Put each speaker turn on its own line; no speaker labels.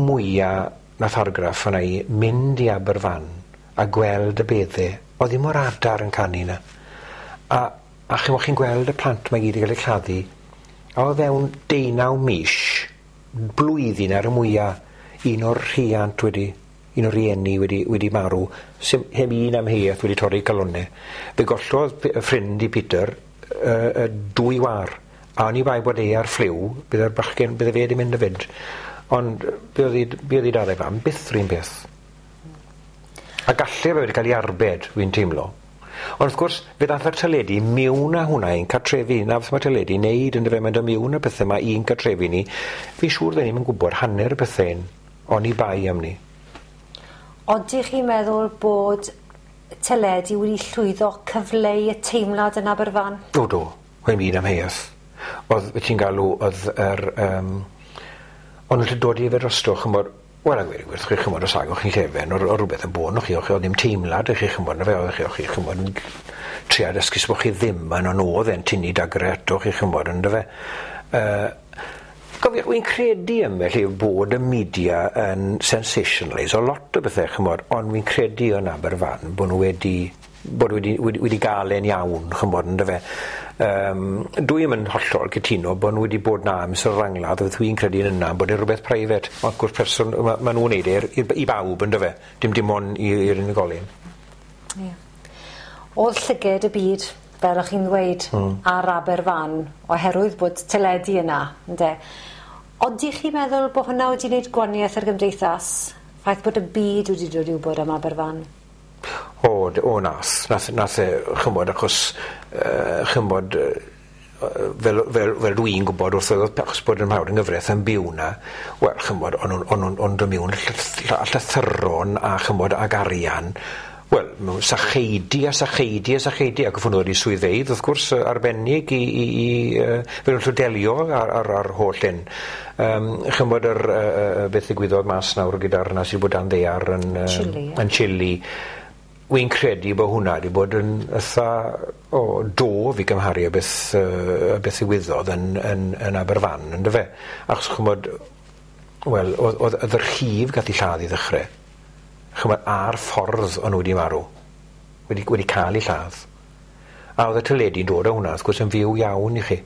mwya nath argraff arna i, mynd i Aberfan a gweld y bedde, o'dd ddim o'r adar yn canu 'na. A ch'mo' chi'n gweld y plant 'ma gyd yn ga'l eu claddu, a o fewn deunaw mish, blwyddyn ar y mwya, un o'r rhiant wedi, un o'r rieni wedi marw, sim, heb un amheuaeth wedi torri calonne. Fe gollodd ffrind i Peter 2 war, a oni bai bod e ar ffliw, bydde'r bachgen, bydde fe wedi mynd hefyd. Ond be oedd i dad a'i fam, byth rhywun peth. A galle fe wedi cael ei arbed, fi'n teimlo. Ond wrth gwrs, fe ddath yr teledu miwn â hwnna i'n cartrefi. Na beth mae teledu i wneud, yndyfe, mae'n dod miwn â pethau yma i'n cartrefi ni. Fi'n siŵr dden ni'm yn gwybod hanner y pethau hyn, oni bai am ni.
Odych chi'n meddwl bod teledu wedi llwyddo cyfleu y teimlad yn Aberfan?
O do, mae'n byd amheuaeth. Oedd, beth ti'n galw, oedd yr... O'n nhw'n dod i fe drosto, ch'mod, wel, a gweud y gwir, chi, ch'mod, os agwch chi'n llefen o'r rhywbeth yn bod, chi, o'ch chi, oedd ddim teimlad i chi, ch'mod, na fe, oedd chi, o'ch chi, ch'mod, yn trio dysgu bod chi ddim yn o'n o'dd e'n tynnu dagre ato chi, ch'mod, yndyfe fe. Gofio, wy'n credu ymell yw bod y media yn sensationalise o lot o bethau, ch'mod, ond wy'n credu yn Aberfan bod nhw wedi bod wedi gael e'n iawn, ch'mod, yndyfe. Dwi ddim yn hollol cytuno bod nhw wedi bod na amser rangladd, oedd dwi'n credu yn yna, bod e'n rhywbeth private, ond wrth gwrs person, ma nhw'n neud e i bawb, yndyfe, dim ond i'r unigolyn.
Ie. O'dd llyged y byd, fel o'ch chi'n ddweud, ar Aberfan, oherwydd bod teledu yna, ynde. Odych chi'n meddwl bod hwnna wedi wneud gwaniaeth ar gymdeithas? Ffaith bod y byd wedi dod i wybod am Aberfan?
O, nath e, ch'mod, achos, ch'mod, fel dwi'n gwybod wrth oedd, achos bod yn mawr yng nghyfraith yn byw na, wel, ch'mod, o'n nhw'n dod mewn llythyron a ch'mod ag arian, wel, mewn sacheidi a sacheidi a sacheidi, ac wrth nhw wedi swyddfeydd, wrth gwrs, arbennig i fel nhw'n delio ar holl hyn. Ch'mod, yr beth ddigwyddodd mas nawr gyda'r na sydd bod dan ddaear yn
Chile, ie.
yn Chile. Wy'n credu bod hwnna wedi bod yn eitha o dof i gymharu â beth ddigwyddodd yn Aberfan, yndyfe? Achos ch'mod, wel, oedd yr rhif gath ei lladd i ddechrau. Ch'mod, a'r ffordd o'n nhw wedi marw, wedi cael ei lladd. A oedd y teledu'n dod â hwnna, wrth gwrs, yn fyw iawn i chi.